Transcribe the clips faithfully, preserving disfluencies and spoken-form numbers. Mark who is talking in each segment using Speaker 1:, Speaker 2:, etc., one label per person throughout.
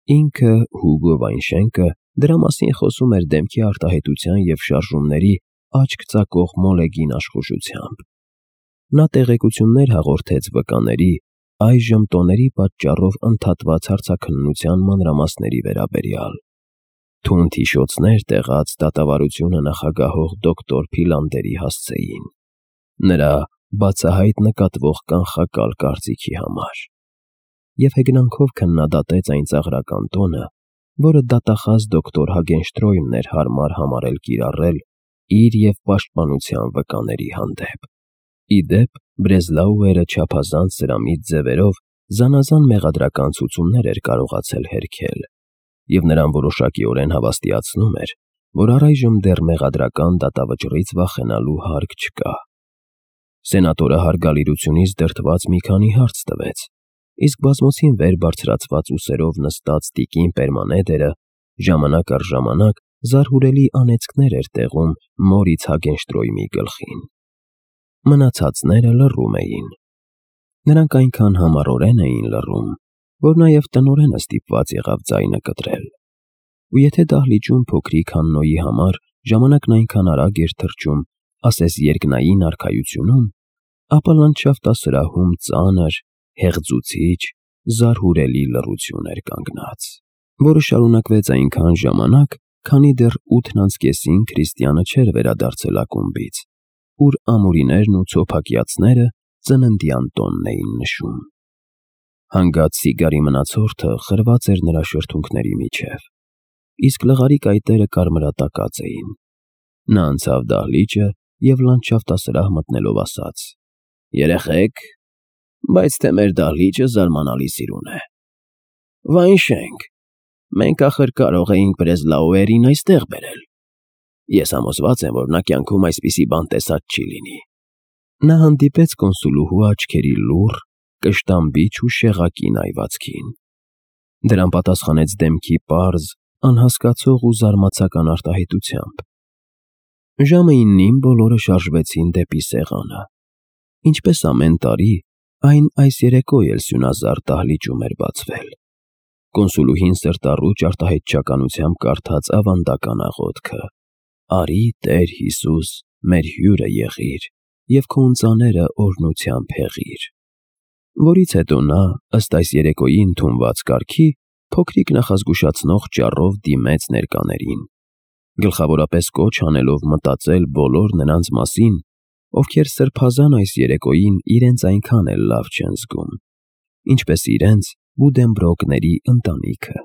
Speaker 1: Ինքը Հուգո Վայնշենկը դրա մասին խոսում էր դեմքի արտահայտության և շարժումների աչք ծակող մոլեգին աշխուժությամբ։ Նա տեղեկություններ հաղորդեց վկաների, այժմ տոների պատճառով ընդհատված հարցաքննության մանրամասների վերաբերյալ։ Թունդ հիշոցներ տեղած դատավարությունը նախագահող դոկտոր Փիլանդերի հասցեին, նրա բացահայտ նկատվող կանխակալ կարծիքի համար, և հեգնանքով քննադատեց այն ծաղրական տոնը, որը դատախազ դոկտոր Հագենշտրոյմն էր հարմար համարել կիրառել իր և պաշտպանության վկաների հանդեպ։ Ի դեպ, Բրեզլաուերը չափազանց սրամիտ ձևերով զանազան մեղադրական ցուցումներ էր կարողացել հերքել, և նրան որոշակիորեն հավաստիացնում էր, որ առայժմ դեռ մեղադրական դատավճռից վախենալու հարկ չկա։ Սենատորը հարգալիրությունից դրդված մի քանի հարց տվեց, իսկ բազմոցին վեր բարձրացված ուսերով նստած տիկին Պերմանեդերը ժամանակ առ ժամանակ զարհուրելի անեծքներ էր տեղում Մորից Հագենշտրոյմի գլխին։ Մնացածները լռում էին։ Նրանք այնքան համառորեն էին լռում, որ նաև տնօրենը ստիպված եղավ ձայնը կտրել։ Ու եթե դահլիճում փոքրիկ Հաննոյի համար ժամանակն այնքան արագ էր թռչում, ասես երկնային արքայությունում, ապա լանդշաֆտասրահում ծանր, հեղձուցիչ, զարհուրելի լռություն էր կանգնած, որը շարունակվեց այնքան ժամանակ, քանի դեռ ութն անց կեսին Քրիստիանը չէր վերադարձել ակումբից, ուր ամուրիներն ու ցոփակյացները ծննդյան տոնն էին նշում։ Հանգած սիգարի մնացորդը խրված էր նրա շրթունքների միջև, իսկ լղարի կայտերը կարմրատակած էին։ Նա անցավ դահլիճը և լանդշաֆտասրահ մտնելով ասաց. «Երեխեք, բայց թե մեր դահլիճը զարմանալի սիրուն է։ Վայնշենք, մենք ախր կարող էինք Բրեզլաուերին այստեղ բերել։ Ես համոզված եմ, որ նա կյանքում այսպիսի բան տեսած չի լինի»։ Նա հանդիպեց կոնսուլուհու աչքերի լուռ, կշտամբիչ ու շեղակին այվածքին։ Դրան պատասխանեց դեմքի պարզ, անհասկացող ու զարմացական արտահայտությամբ։ Ժամը իննին բոլորը շարժվեցին դեպի սեղանը։ Ինչպես ամեն տարի, այն այս երեկո էլ սյունազարդ դահլիճում էր բացվել։ Կոնսուլուհին սրտառուչ արտահայտչականությամբ կարդաց ավանդական աղոթքը. «Արի, Տեր Հիսուս, մեր հյուրը եղիր, և քո ընծաները օրհնությամբ հեղիր», որից հետո նա, ըստ այս երեկոյի ընդունված կարգի, փոքրիկ նախազգուշացնող ճառով դիմեց ներկաներին, գլխավորապես կոչ անելով մտածել բոլոր նրանց մասին, ովքեր սրբազան այս երեկոյին իրենց այնքան էլ լավ չեն զգում, ինչպես իրենց Բուդենբրոկների ընտանիքը։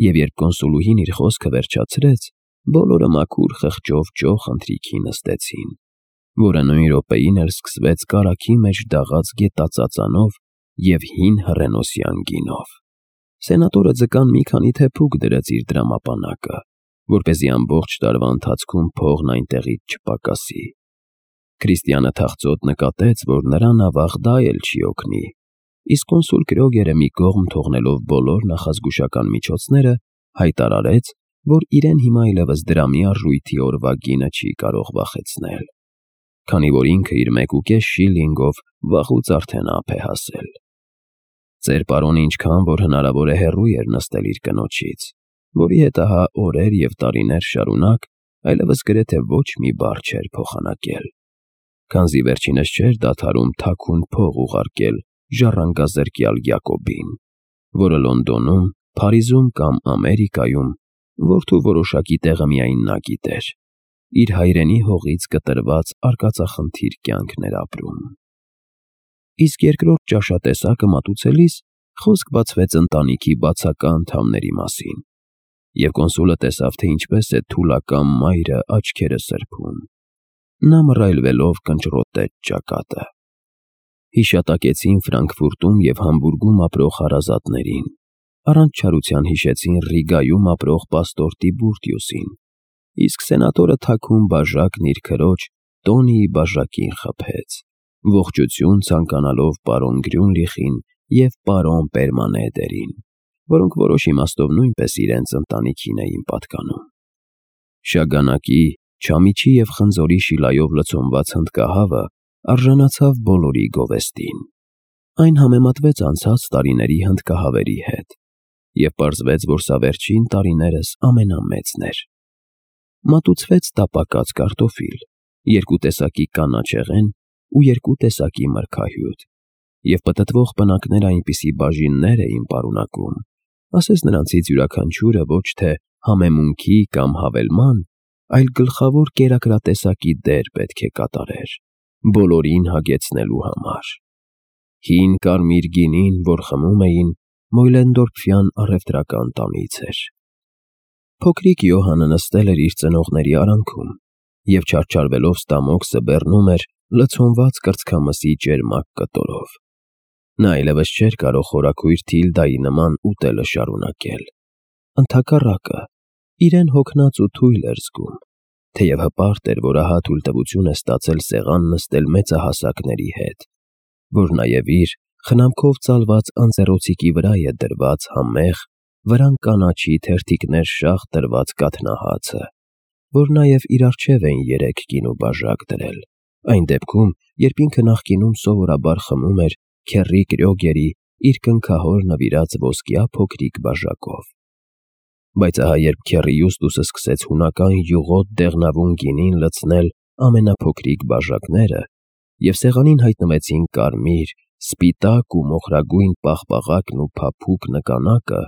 Speaker 1: Եվ երբ կոնսուլուհին իր խոսքը վերջացրեց, բոլորը մաքուր խղճով ճոխ ընթրիքի նստեցին, որը նույն րոպեին էլ սկսվեց կարագի մեջ դաղած գետածածանով և հին հռենոսյան գինով։ Սենատորը ձկան մի քանի թեփուկ դրեց իր դրամապանակը, որպեսզի ամբողջ տարվա ընթացքում փողն այնտեղից չպակասի։ Քրիստիանը թախծոտ նկատեց, որ նրան ավաղ դա էլ չի օգնի, իսկ կոնսուլ Կրոգերը մի կողմ թողնելով բոլոր նախազգուշական միջոցները, հայտարարեց, որ իրեն հիմա այլևս դրամի արժույթի օրվա գինը չի կարող վախեցնել, քանի որ ինքը իր մեկուկես շիլլինգով վաղուց արդեն ափ է հասել։ Ծեր պարոնը ինչքան որ հնարավոր է հեռու էր նստել իր կնոջից, որի հետ ահա օրեր և տարիներ շարունակ այլևս գրեթե ոչ մի բառ չէր փոխանակել, քանզի վերջինս չէր դադարում թաքուն փող ուղարկել ժառանգազրկյալ Յակոբին, որը Լոնդոնում, Փարիզում կամ Ամերիկայում, որթու որոշակի տեղը միայն նա գիտեր, իր հայրենի հողից կտրված արկածախնդիր կյանքն էր ապրում։ Իսկ երկրորդ ճաշատեսակը մատուցելիս խոսք բացվեց ընտանիքի բացակա անդամների մասին, և կոնսուլը տեսավ, թե ինչպես է թուլակամ մայրը աչքերը սրբում։ Նա մռայլվելով կնճռոտեց ճակատը։ Հիշատակեցին Ֆրանկֆուրտում և Համբուրգում ապրող հարազատներին, առանց չարության հիշեցին Ռիգայում ապրող պաստոր Տիբուրտիուսին, իսկ սենատորը թաքուն բաժակն իր քրոջ Տոնիի բաժակին խփեց, ողջություն ցանկանալով պարոն Գրյունլիխին և պարոն Պերմանեդերին, որոնք որոշ իմաստով նույնպես իրենց ընտանիքին էին պատկանում։ Շագանակի, չամիչի և խնձորի շիլայով լցոնված հնդկահավը արժանացավ բոլորի գովեստին։ Այն համեմատվեց անցած տարիների հնդկահավերի հետ, և պարզվեց, որ սա վերջին տարիներս ամենամեծն էր։ Մատուցվեց տապակած կարտոֆիլ, երկու տեսակի կանաչեղեն ու երկու տեսակի մրգահյութ, և պտտվող պնակները այնպիսի բաժիններ էին պարունակում, ասես նրանցից յուրաքանչյուրը ոչ թե համեմունքի կամ հավելման, այլ գլխավոր կերակրատեսակի դեր պետք է կատարեր, բոլորին հագեցնելու համար։ Հին կարմիր գինին, որ խմում էին, Մոյլենդորֆյան առևտրական տանից էր։ Փոքրիկ Յոհանը նստել էր իր ծնողների արանքում և չարչարվելով ստամոքսը բեռնում էր լցոնված կրծքամսի ճերմակ կտորով։ Նա այլևս չէր կարող խորաքույր Թիլդայի նման ուտելը շարունակել։ Ընդհակառակը, իրեն հոգնած ու թույլ էր զգում, թեև հպարտ էր, որ ահա թույլտվություն է ստացել սեղան նստել մեծահասակների հետ, որ նաև իր խնամքով ծալված անձեռոցիկի վրա է դրված համեղ, վրան կանաչի թերթիկներ շաղ դրված կաթնահացը, որ նաև իր առջև էին երեք գինու բաժակ դրել, այն դեպքում, երբ ինքը նախկինում սովորաբար խմում էր քեռի Կրյոգերի իր կնքահոր նվիրած ոսկյա փոքրիկ բաժակով։ Բայց ահա երբ քեռի Յուստուսը սկսեց հունական յուղոտ դեղնավուն գինին լցնել ամենափոքրիկ բաժակները, և սեղանին հայտնվեցին կարմիր, սպիտակ ու մոխրագույն պաղպաղակն ու փափուկ նկանակը,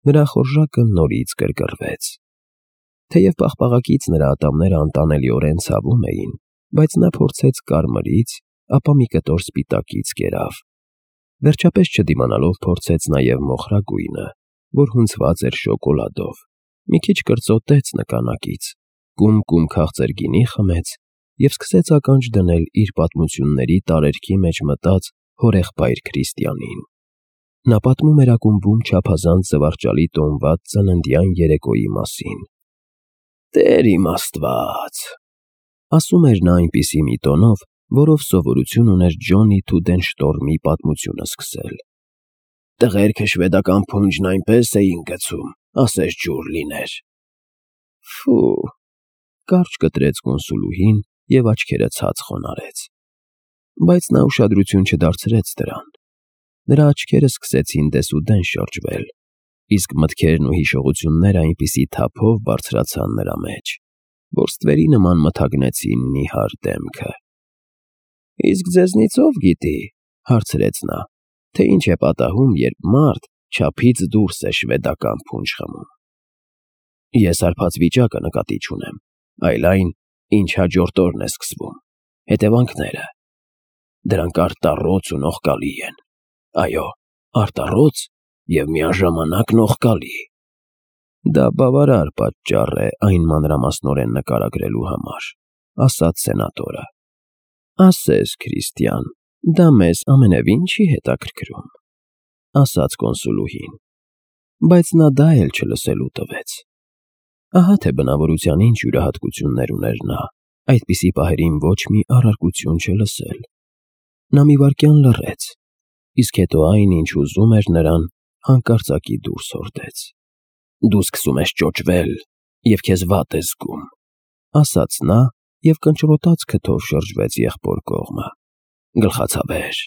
Speaker 1: նրա խորժակը նորից գրգռվեց։ Թեև պաղպաղակից նրա ատամները անտանելիորեն ցավում էին, բայց նա փորձեց կարմրից, ապա մի կտոր սպիտակից կերավ։ Վերջապես չդիմանալով փորձեց նաև մոխրագույնը, որ հունցված էր շոկոլադով, մի քիչ կրծոտեց նկանակից, կում-կում քաղցր գինի խմեց և սկսեց ականջ դնել իր պատմությունների տարերքի մեջ մտած հորեղբայր Քրիստիանին։ Նա պատմում էր ակումբում չափազանց զվարճալի տոնված ծննդյան երեկոյի մասին։ «Տեր իմ Աստված», ասում էր նա այնպիսի մի տոնով, որով սովորություն ուներ Ջոնի Թուդենշտորմի պատմությունը սկսել։ «Տղերքը շվեդական փունջն այնպես էին գցում, ասես ջուր լիներ»։ Ֆու, կարճ կտրեց կոնսուլուհին և աչքերը ցած խոնարհեց։ Բայց նա ուշադրություն չդարձրեց դրան։ Նրա աչքերը սկսեցին դեսուդեն շրջվել, իսկ մտքերն ու հիշողությունները այնպիսի թափով բարձրացան նրա մեջ, որ ստվերի նման մթագնեցին նիհար դեմքը։ «Իսկ ձեզնից ով գիտի, ֊ հարցրեց նա, ֊ թե ինչ է պատահում, երբ մարդ չափից դուրս է շվեդական փունջ խմում։ Ես հարբած վիճակը նկատի չունեմ, այլ այն, ինչ հաջորդ օրն է սկսվում, հետևանքները։ Դրանք արտառոց ու նողկալի են, այո, արտառոց և միաժամանակ նողկալի»։ Դա բավարար պատճառ է այն մանրամասնորեն նկարագրելու համար, ասաց սենատորը։ Ասես, Քրիստիան, դա մեզ ամենևին չի հետաքրքրում, ասաց կոնսուլուհին, բայց նա դա էլ չլսելու տվեց։ Ահա թե բնավորության ինչ յուրահատկություններ ուներ նա, այդպիսի պահերին ոչ մի առարկություն չլսել։ Նա մի վայրկյան լռեց, իսկ հետո այն, ինչ ուզում էր նրան, հանկարծակի դուրս հորդեց։ «Դու սկսում ես ճոճվել և քեզ վատ ես զգում», ասաց նա և կնճռոտած քթով շրջվեց եղբոր կողմը։ «Գլխացավեր,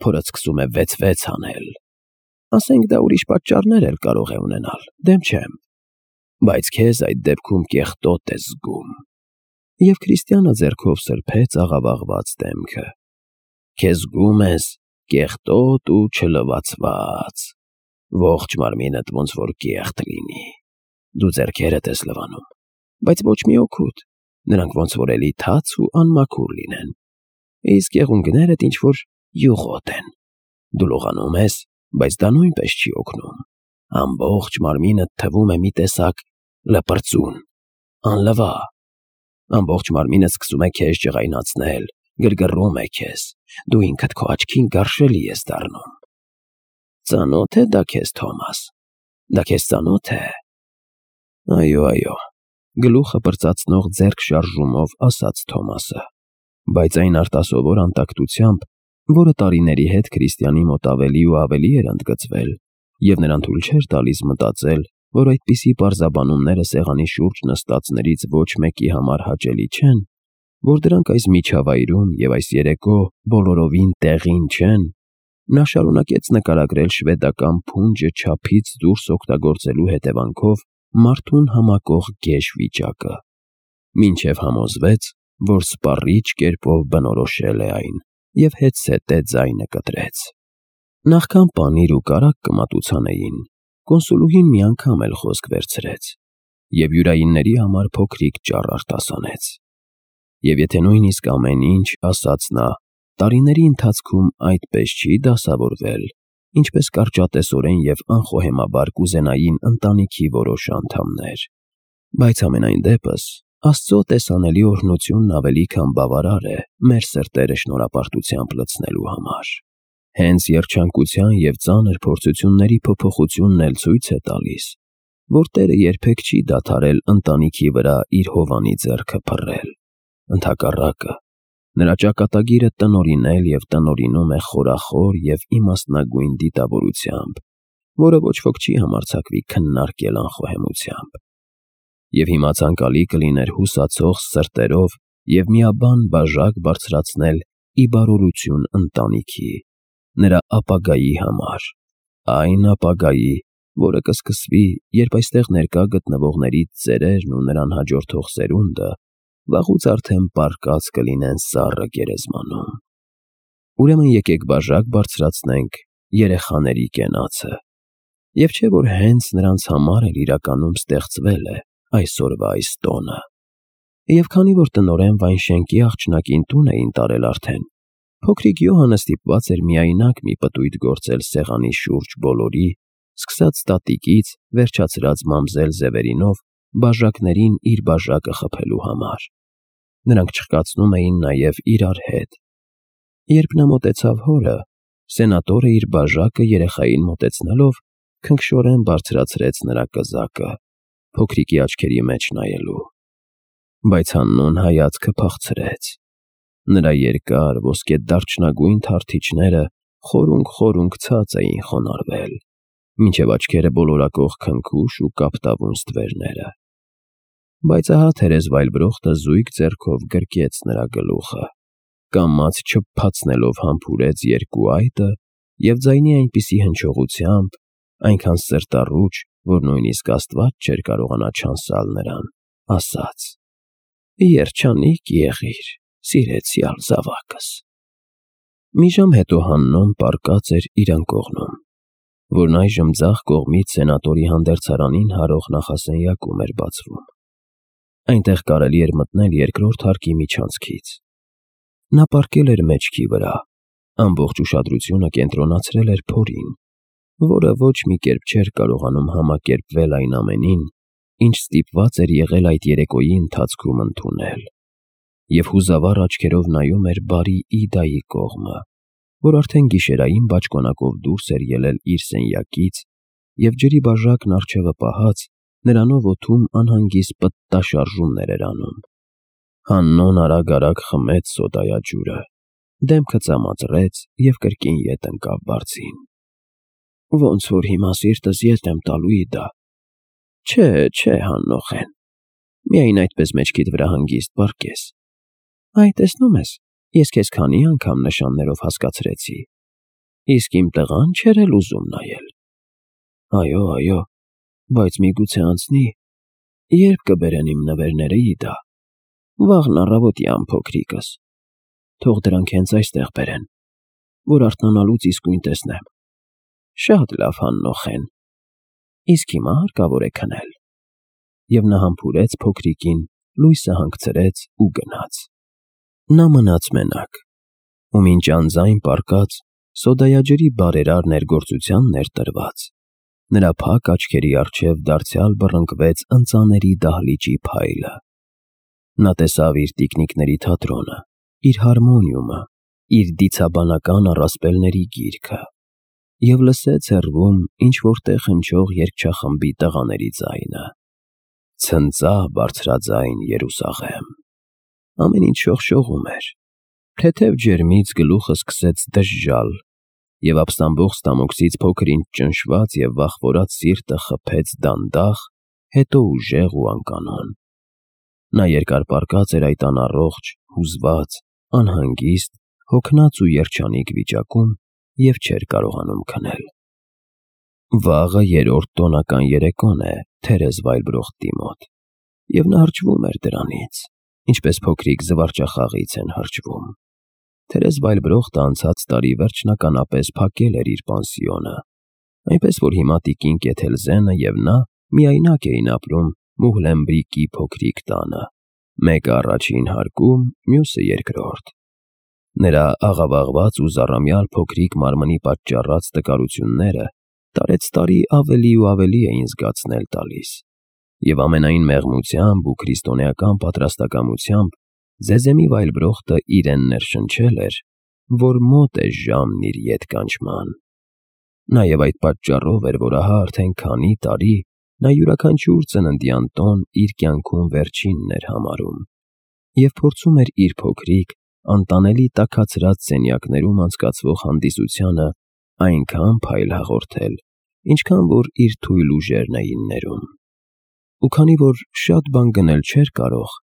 Speaker 1: փորդ սկսում է վեց֊վեց անել։ Ասենք դա ուրիշ պատճառներ էլ կարող է ունենալ, դեմ չեմ, բայց քեզ այդ դեպքում կեղտոտ ես զգում»։ Եվ Քրիստիանը ձեռքով սրբեց աղավաղված դեմքը։ «Քեզ զգում ես կեղտոտ ու չլվացված, ողջ մարմինդ ոնց որ կեղտ լինի, դու ձեռքերդ ես լվանում, բայց ոչ մի օգուտ, նրանք ոնց որ էլի թաց ու անմաքուր լինեն, իսկ եղունգներդ ինչ-որ յուղոտ են, դու լողանում ես, բայց դա նույնպես չի օգնում, ամբողջ մարմինդ թվում է մի տեսակ լպրծուն, անլվա, ամբողջ մարմինդ սկսում է քեզ ջղայնացնել, գրգռում է քեզ, դու ինքդ քո աչքին գարշելի ես դառնում։ Ծանո՞թ է դա քեզ, Թոմաս, դա քեզ ծանո՞թ է։ Այո, այո, գլուխը պրծացնող ձեռք շարժումով ասաց Թոմասը, բայց այն արտասովոր անտակտությամբ, որը տարիների հետ Քրիստիանի մոտ ավելի ու ավելի էր ընդգծվել, և նրան թույլ չէր տալիս մտածել, որ այդպիսի պարզաբանումները սեղանի շուրջ նստածներից ոչ մեկի համար հաճելի չեն, որ դրանք այս միջավայրում և այս երեկո բոլորովին տեղին չեն, Նա շարունակեց նկարագրել շվեդական փունջը չափից դուրս օգտագործելու հետևանքով մարդուն համակող գեշ վիճակը, մինչև համոզվեց, որ սպառիչ կերպով բնորոշել է այն և հետզհետե ձայնը կտրեց։ Նախքան պանիր ու կարագ կմատուցանեին, կոնսուլուհին մի անգամ էլ խոսք վերցրեց և յուրայինների համար փոքրիկ ճառ արտասանեց։ Եվ եթե նույնիսկ ամեն ինչ, ասաց նա, տարիների ընթացքում այդպես չի դասավորվել, ինչպես կարճատեսորեն և անխոհեմաբար կուզենային ընտանիքի որոշ անդամներ, բայց համենայն դեպս Աստծո տեսանելի օրհնությունն ավելի քան բավարար է մեր սրտերը շնորհապարտությամբ լցնելու համար։ Հենց երջանկության և ծանր փորձությունների փոփոխությունն էլ ցույց է տալիս, որ Տերը երբեք չի դադարել ընտանիքի վրա իր հովանի ձեռքը փռել։ Ընդհակառակը, նրա ճակատագիրը տնօրինել և տնօրինում է խորախոր և իմաստնագույն դիտավորությամբ, որը ոչ ոք չի համարձակվի քննարկել անխոհեմությամբ։ Եվ հիմա ցանկալի կլիներ հուսացող սրտերով և միաբան բաժակ բարձրացնել ի բարօրություն ընտանիքի, նրա ապագայի համար, այն ապագայի, որը կսկսվի, երբ այստեղ ներկա գտնվողներից ծերերն ու նրան հաջորդող սերունդը վաղուց արդեն պառկած կլինեն սառը գերեզմանում։ Ուրեմն եկեք բաժակ բարձրացնենք երեխաների կենացը, և չէ՞ որ հենց նրանց համար էլ իրականում ստեղծվել է այսօրվա այս տոնը։ Եվ քանի որ տնօրեն Վայնշենկի աղջնակին տուն էին տարել արդեն, փոքրիկ Յոհանը ստիպված էր միայնակ մի պտույտ գործել սեղանի շուրջ բոլորի, սկսած տատիկից, վերջացրած մամզել Զևերինով, բաժակներին իր բաժակը խփելու համար։ Նրանք չխկացնում էին նաև իրար հետ։ Երբ նա մոտեցավ հորը, սենատորը իր բաժակը երեխային մոտեցնելով քնքշորեն բարձրացրեց նրա կզակը, փոքրիկի աչքերի մեջ նայելու։ Բայց Հաննոն հայացքը փախցրեց։ Նրա երկար ոսկեդարչնագույն թարթիչները խորունգ-խորունգ ցած էին խոնարհվել, մինչև աչքերը բոլորակող քնքուշ ու կապտավուն ստվերները։ Բայց ահա թերեզվայրբրոխտը զույգ ձեռքով գրկեց նրա գլուխը, կամաց չփփացնելով համբուրեց երկու այտը և ձայնի այնպիսի հնչողությամբ, այնքան սրտառուչ, որ նույնիսկ Աստված չէր կարողանա չանսալ նրան, ասաց. «Երջանիկ եղիր, սիրեցյալ զավակս»։ Մի ժամ հետո Հաննոն պառկած էր իր անկողնում, որն այժմ ձախ կողմից սենատորի հանդերձարանին հարող նախասենյակում էր բացվում։ Այնտեղ կարելի էր մտնել երկրորդ հարկի միջանցքից։ Նա պառկել էր մեջքի վրա, ամբողջ ուշադրությունը կենտրոնացրել էր փորին, որը ոչ մի կերպ չէր կարողանում համակերպվել այն ամենին, ինչ ստիպված էր եղել այդ երեկոյի ընթացքում ընդունել, և հուզավառ աչքերով նայում էր բարի Իդայի կողմը, որ արդեն գիշերային բաճկոնակով դուրս էր ելել իր սենյակից և ջրի բաժակն առջևը պահած, նրանով օդում անհանգիստ պտտաշարժումներ էր անում։ Հաննոն արագ-արագ խմեց սոդայաջուրը, դեմքը ծամածրեց և կրկին ետ ընկավ բարձին։ Ոնց որ հիմա սիրտս ետ եմ տալու, Իդա։ Չէ, չէ, Հաննոխեն, միայն այդպես մեջքիդ վրա հանգիստ պառկես։ Այ տեսնում ես, ես քեզ քանի անգամ նշաններով հասկացրեցի, իսկ իմ տղան չէր էլ ուզում նայել։ Այո, այո, բայց միգուցե անցնի, ե՞րբ կբերեն իմ նվերները, Իդա։ Վաղն առավոտյան, փոքրիկս։ Թող դրանք հենց այստեղ բերեն, որ արթնանալուց իսկույն տեսնեմ։ Շատ լավ, Հաննոխեն։ Իսկ հիմա հարկավոր է քնել։ Եվ նա համբուրեց փոքրիկին, լույսը հանգցրեց ու գնաց։ Նա մնաց մենակ, ու մինչ անձայն պառկած, սոդայաջրի բարերար ներգործությանն էր տրված, նրա փակ աչքերի առջև դարձյալ բռնկվեց ընծաների դահլիճի փայլը։ Նա տեսավ իր տիկնիկների թատրոնը, իր հարմոնիումը, իր դիցաբանական առասպելների գիրքը և լսեց հեռվում ինչ-որ տեղ հնչող երգչախմբի տղաների ձայնը. «Ցնծա բարձրաձայն Երուսաղեմ»։ Ամեն ինչ շողշողում էր։ Թեթև ջերմից գլուխը սկսեց դժժալ, և ապստամբող ստամոքսից փոքր ինչ ճնշված և վախվորած սիրտը խփեց դանդաղ, հետո ուժեղ ու անկանոն։ Նա երկար պառկած էր այդ անառողջ, հուզված, անհանգիստ, հոգնած ու երջանիկ վիճակում և չէր կարողանում քնել։ Վաղը երրորդ տոնական երեկոն է Թերեզվայլբրոխտի մոտ, և նա հրճվում էր դրանից, ինչպես փոքրիկ զվարճախաղից են հրճվում։ Թերեզվայլբրոխտը անցած տարի վերջնականապես փակել էր իր պանսիոնը, այնպես որ հիմա տիկին Կեթելզենը և նա միայնակ էին ապրում Մուհլենբրիկի փոքրիկ տանը, մեկը առաջին հարկում, մյուսը երկրորդ։ Նրա աղավաղված ու զառամյալ փոքրիկ մարմնի պատճառած տկարությունները տարեցտարի ավելի ու ավելի էին զգացնել տալիս, և ամենայն մեղմությամբ ու քրիստոնեական պատրաստակամությամբ Զեզեմի Վայլբրոխտը իրեն ներշնչել էր, որ մոտ է ժամն իր ետ կանչման։ Նաև այդ պատճառով էր, որ ահա արդեն քանի տարի նա յուրաքանչյուր ծննդյան տոն իր կյանքում վերջինն էր համարում և փորձում էր իր փոքրիկ, անտանելի տաքացրած սենյակներում անցկացվող հանդիսությանը այնքան փայլ հաղորդել, ինչքան որ իր թույլ ուժերն էին ներում։ Ու քանի որ շատ բան գնել չէր կարող,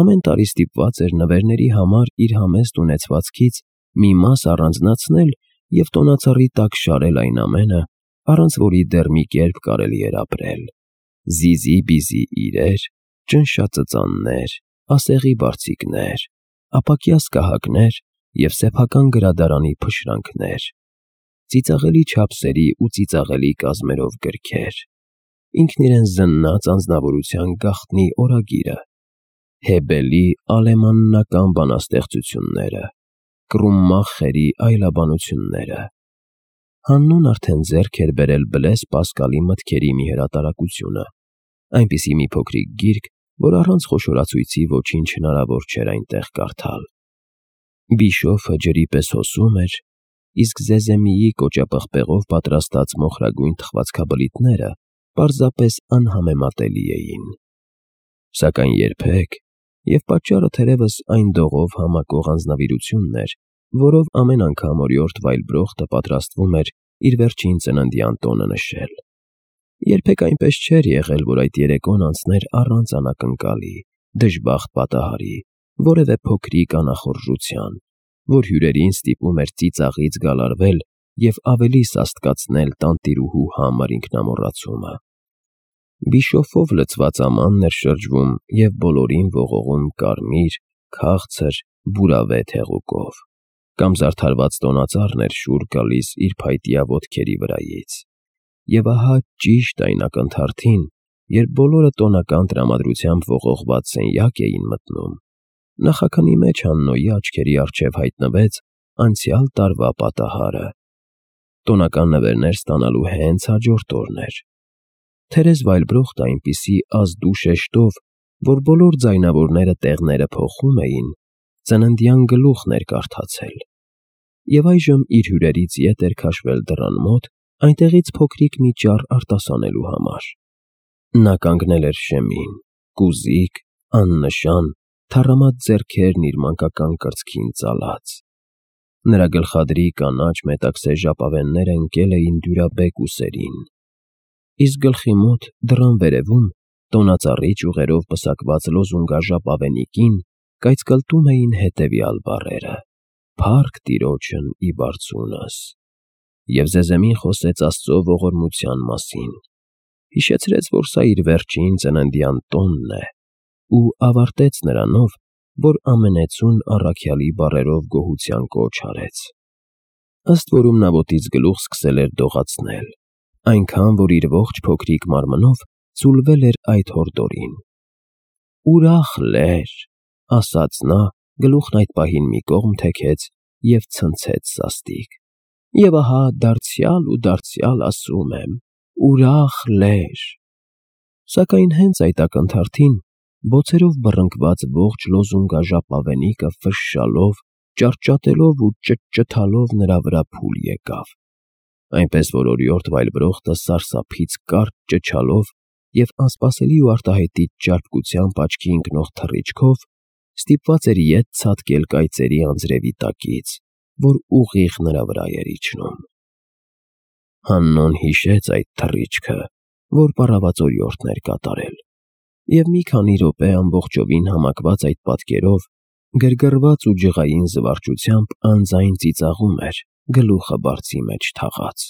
Speaker 1: ամեն տարի ստիպված էր նվերների համար իր համեստ ունեցվածքից մի մաս առանձնացնել և տոնածառի տակ շարել այն ամենը, առանց որի դեռ մի կերպ կարելի էր ապրել. զիզի-բիզի իրեր, ճնշածծաններ, ասեղի բարձիկներ, ապակյա սկահակներ և սեփական գրադարանի փշրանքներ, ծիծաղելի չափսերի ու ծիծաղելի կազմերով գրքեր, ինքն իրեն զննած անձնավորության գաղտնի օրագիրը, Հեբելի ալեմաննական բանաստեղծությունները, Կռումմախերի այլաբանությունները։ Հաննուն արդեն ձեռք էր բերել Բլես Պասկալի մտքերի մի հրատարակությունը, այնպիսի մի փոքրիկ գիրք, որ առանց խոշորացույցի ոչինչ հնարավոր չէր այնտեղ կարդալ։ Բիշոֆը ջրի պես հոսում էր, իսկ Զեզեմիի կոճապղպեղով պատրաստած մոխրագույն թխվածքաբլիթները պարզապես անհամեմատելի էին։ Սակայն երբեք, և պատճառը թերևս այն դողով համակող անձնավիրությունն էր, որով ամեն անգամ օրիորդ Վայլբրոխտը պատրաստվում էր իր վերջին ծննդյան տոնը նշել, երբեք այնպես չէր եղել, որ այդ երեկոն անցներ առանց անակնկալի, դժբախտ պատահարի, որևէ փոքրիկ անախորժության, որ հյուրերին ստիպում էր ծիծաղից գալարվել և ավելի սաստկացնել տանտիրուհու համր ինքնամոռացումը։ Բիշոֆով լցված ամանն էր շրջվում և բոլորին ողողում կարմիր, քաղցր, բուրավետ հեղուկով, կամ զարդարված տոնածառն էր շուռ գալիս իր փայտյա ոտքերի վրայից։ Եվ ահա ճիշտ այն ակնթարթին, երբ բոլորը տոնական տրամադրությամբ ողողված սենյակ էին մտնում, նախաքնի մեջ Հաննոյի աչքերի առջև հայտնվեց անցյալ տարվա պատահարը։ Տոնական նվերներ ստանալու հենց հաջորդ օրն էր։ Թերեզ Վայլբրոխտը այնպիսի ազդու շեշտով, որ բոլոր ձայնավորները տեղները փոխում էին, ծննդյան գլուխն էր կարդացել, և այժմ իր հյուրերից ետ էր քաշվել դռան մոտ այնտեղից փոքրիկ մի ճառ արտասանելու համար։ Նա կանգնել էր շեմին, կուզիկ, աննշան, թառամած ձեռքերն իր մանկական կրծքին ծալած։ Նրա գլխադրի կանաչ մետաքսե ժապավենները ընկել էին դյուրաբեկ ուսերին, իսկ գլխի մոտ, դռան վերևում, տոնածառի ճյուղերով պսակված լոզունգաժապավենիքին կայծկլտում էին հետևյալ բառերը. «Փառք Տիրոջն ի բարձունս», և Զեզեմին խոսեց Աստծո ողորմության մասին, հիշեցրեց, որ սա իր վերջին ծննդյան տոնն է, ու ավարտեց նրանով, որ ամենեցուն առաքյալի բառերով գոհության կոչ արեց։ Ըստ որում նա ոտից գլուխ սկսել էր դողացնել, այնքան, որ իր ողջ փոքրիկ մարմնով ձուլվել էր այդ հորդորին։ «Ուրախ լեր», ասաց նա, գլուխն այդ պահին մի կողմ թեքեց և ցնցեց սաստիկ, և ահա դարձյալ ու դարձյալ ասում եմ. «Ուրախ լեր»։ Սակայն հենց այդ ակնթարթին բոցերով բռնկված ողջ լոզունգաժապավենիքը ֆշշալով, ճարտճատելով ու ճտճթալով նրա վրա փուլ եկավ, այնպես որ օրիորդ Վայլբրոխտը սարսափից կարճ ճչալով և անսպասելի ու արտահայտիչ ճարպկությամբ աչքի ընկնող թռիչքով ստիպված էր ետ ցատկել կայծերի անձրևի տակից, որ ուղիղ նրա վրա էր իջնում։ Հաննոն հիշեց այդ թռիչքը, որ պառաված օրիորդն էր կատարել, և մի քանի րոպե ամբողջովին համակված այդ պատկերով, գրգռված ու ջղային զվարճությամբ անձայն ծիծաղում էր, գլուխը բարձի մեջ թաղած։